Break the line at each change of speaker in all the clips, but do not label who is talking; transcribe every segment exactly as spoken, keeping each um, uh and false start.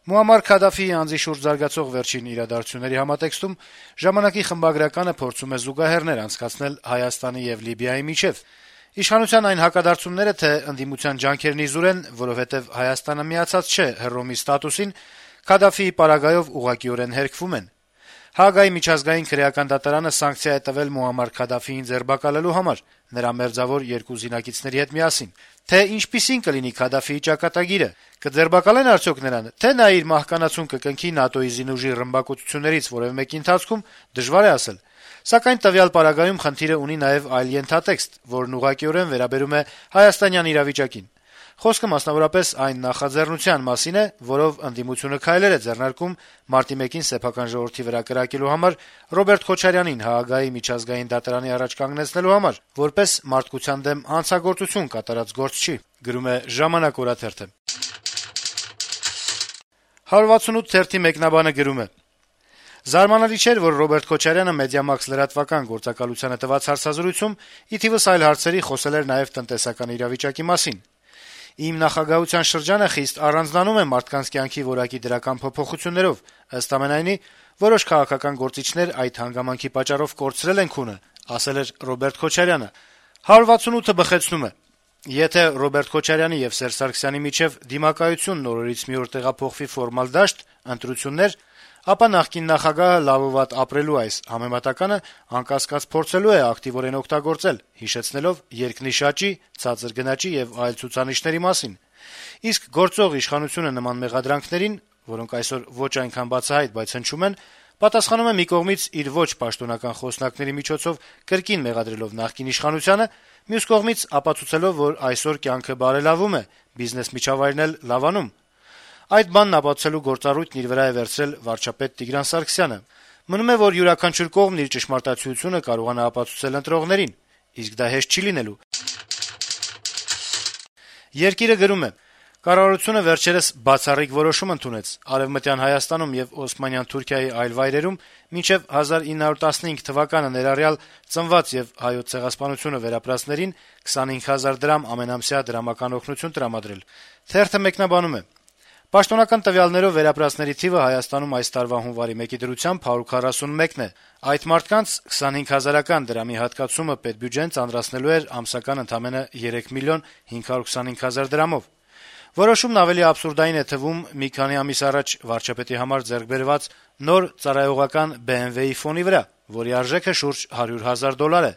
Մուամմար Քադաֆիի անձի շուրջ զարգացող վերջին իրադարձությունների համատեքստում «Ժամանակ»-ի խմբագրականը փորձում է զուգահեռներ անցկացնել Հայաստանի եւ Լիբիայի միջեւ։ Իշխանության այն հակադարձումները, թե ընդդիմության ջանքերն իզուր են, որովհետեւ Հայաստանը միացած չէ Հռոմի ստատուսին, Քադաֆիի պարագայով ուղղակիորեն հերքվում են։ Հաագայի միջազգային քրեական դատարանը սանկցիա է տվել Մուամմար Քադաֆիին ձերբակալելու համար, նրա մերձավոր երկու զինակիցների հետ միասին։ Թե ինչպիսին կլինի Քադաֆիի ճակատագիրը, կձերբակալեն արդյոք նրան, թե նա իր մահկանացուն կկնքի ՆԱՏՕ-ի զինուժի ռմբակոծություններից որևէ մեկի ընթացքում, դժվար է ասել։ Սակայն տվյալ պարագայում խնդիրը ունի նաև այլ ենթատեքստ, որն ուղղակիորեն վերաբերում է հայաստանյան իրավիճակին։ Խոսքը մասնավորապես այն նախաձեռնության մասին է, որով ընդդիմությունը քայլեր է ձեռնարկում մարտի մեկին սեփական ժողովրդի վրա կրակելու համար Ռոբերտ Քոչարյանին Հաագայի միջազգային դատարանի առաջ կանգնեցնելու համար, որպես մարդկության դեմ հանցագործություն կատարած գործչի, գրում է «Ժամանակ» օրաթերթը։ հարյուր վաթսունութ թերթի մեկնաբանը գրում է. Զարմանալի չէր, որ Ռոբերտ Քոչարյանը Մեդիամաքս լրատվական գործակալությանը տված հարցազրույցում ի թիվս այլ հարցերի խոսել էր նաև տնտեսական իրավիճակի մասին։ Իմ նախագահության շրջանը խիստ առանձնանում է մարդկանց կյանքի որակի դրական փոփոխություններով, ըստ ամենայնի, որոշ քաղաքական գործիչներ այդ հանգամանքի պատճառով կորցրել են քունը, ասել էր Ռոբերտ Քոչարյանը։ հարյուր վաթսունութը բխեցնում է. Եթե Ռոբերտ Քոչարյանի եւ Սերժ Սարգսյանի միջեւ դիմակայությունն օրերից մի օր տեղափոխվի ֆորմալ դաշտ, ընտրություններ, ապա նախկին նախագահը լավ ու վատ ապրելու այս համեմատականը անկասկած փորձելու է ակտիվորեն օգտագործել, հիշեցնելով երկնիշաճի, ցածր գնաճի եւ այլ ցուցանիշների մասին։ Իսկ գործող իշխանությունը նման մեղադրանքներին, որոնք այսօր ոչ այնքան բացահայտ, բայց հնչում են, պատասխանում է մի կողմից իր ոչ պաշտոնական խոսնակների միջոցով կրկին մեղադրելով նախկին իշխանությանը, մյուս կողմից ապացուցելով, որ այսօր կյանքը բարելավում է, բիզնես միջավայրն էլ լավանում։ Այդ բանն ապացուցելու գործառույթն իր վրա է վերցրել վարչապետ Տիգրան Սարգսյանը։ Մնում է, որ յուրաքանչյուր կողմն իր ճշմարտացիությունը կարողանա ապացուցել ընտրողներին, իսկ դա հեշտ չի լինելու։ Երկիրը գրում է. Կառավարությունը վերջերս բացառիկ որոշում ընդունեց Արևմտյան Հայաստանում եւ Օսմանյան Թուրքիայի այլ վայրերում մինչեւ հազար ինը հարյուր տասնհինգ թվականը ներառյալ ծնված եւ հայոց ցեղասպանությունը վերապրածներին քսանհինգ հազար դրամ ամենամսյա դրամական օգնություն տրամադրել։ Թերթը մեկնաբանում է. Պաշտոնական տվյալներով վերապրածների թիվը Հայաստանում այս տարվա հունվարի մեկի դրությամբ հարյուր քառասունմեկն է։ Այդ մարդկանց քսանհինգ հազարական դրամի հատկացումը պետբյուջեն ծանրացնելու էր ամսական ընդամենը երեք միլիոն հինգ հարյուր քսանհինգ հազար դրամով։ Որոշումն ավելի աբսուրդային է թվում մի քանի ամիս առաջ վարչապետի համար ձեռք բերված նոր ծառայողական B M W-ի ֆոնի վրա, որի արժեքը շուրջ հարյուր հազար դոլար է։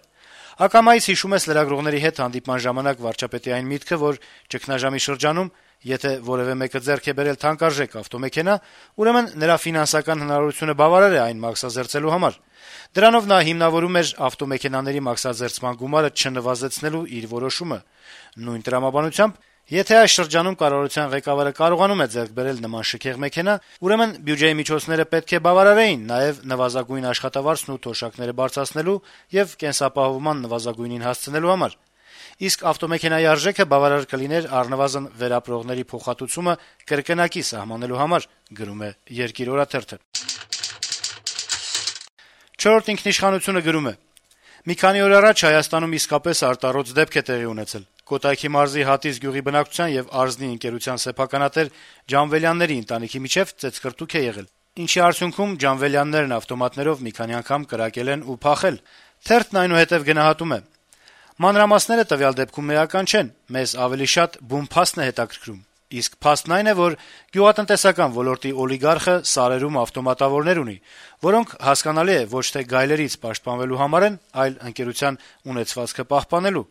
Ակամայից հիշում ես լրագրողների հետ հանդիպման ժամանակ վարչապետի այն միտքը, որ ճգնաժամի շրջանում եթե որևէ մեկը ձեռք է բերել թանկարժեք ավտոմեքենա, ուրեմն նրա ֆինանսական հնարավորությունը բավարար է այն մաքսազերծելու համար։ Դրանով նա հիմնավորում էր ավտոմեքենաների մաքսազերծման գումարը չնվազեցնելու իր որոշումը։ Նույն տրամաբանությամբ, եթե այս շրջանում կառավարության ղեկավարը կարողանում է ձեռք բերել նման շքեղ մեքենա, ուրեմն բյուջեի միջոցները պետք է բավարարեին նաև նվազագույն աշխատավարձն ու թոշակները բարձրացնելու եւ կենսապահովման նվազագույնին հասցնելու համար։ Իսկ ավտոմեքենայի արժեքը բավարար կլիներ առնվազն վերապրողների փոխհատուցումը կրկնակի սահմանելու համար, գրում է Երկիր օրաթերթը։ Չորրորդ ինքնիշխանությունը գրում է. Մի քանի օր առաջ Հայաստանում իսկապես արտառոց դեպք է տեղի ունեցել։ Կոտայքի մարզի Հատիս գյուղի բնակչության եւ Արզնի ընկերության սեփականատեր Ջանվելյանների ընտանիքի միջեւ ծեծկռտուք է եղել, ինչի արդյունքում Ջանվելյաններն ավտոմատներով մի քանի անգամ կրակել են ու փախել։ Թերթն այնուհետեւ գնահատում է. Մանրամասները տվյալ դեպքում էական չեն, մեզ ավելի շատ բուն փաստն է հետաքրքրում։ Իսկ փաստն այն է, որ գյուղատնտեսական ոլորտի օլիգարխը սարերում ավտոմատավորներ ունի, որոնք հասկանալի է ոչ թե գայլերից պաշտպանվելու համար են, այլ ընկերության ունեցվածքը պահպանելու։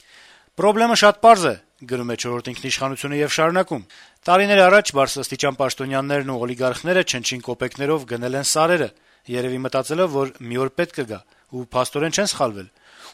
Պրոբլեմը շատ պարզ է, գրում է չորրորդ ինքնիշխանությունը եւ շարունակում. Տարիներ առաջ բարձրաստիճան պաշտոնյաներն ու օլիգարխները չնչին կոպեկներով գնել են սարերը, երևի մտածելով, որ մի օր պետք կգա, ու փաստորեն չեն սխալվել։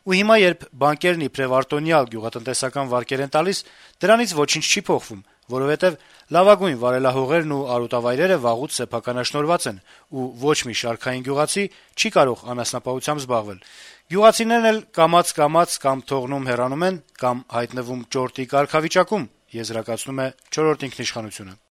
Ու հիմա երբ բանկերն իբրև արտոնյալ գյուղատնտեսական վարկեր են տալիս, դրանից ոչինչ չի փոխվում, որովհետեւ լավագույն վարելահողերն ու արոտավայրերը վաղուց սեփականաշնորհված են, ու ոչ մի շարքային գյուղացի չի կարող անասնապահությամբ զբաղվել։ Գյուղացիներն էլ կամաց-կամաց կամ թողնում հեռանում են, կամ հայտնվում ճորտի կարգավիճակում, եզրակացնում է չորրորդ ինքնիշխանությունը։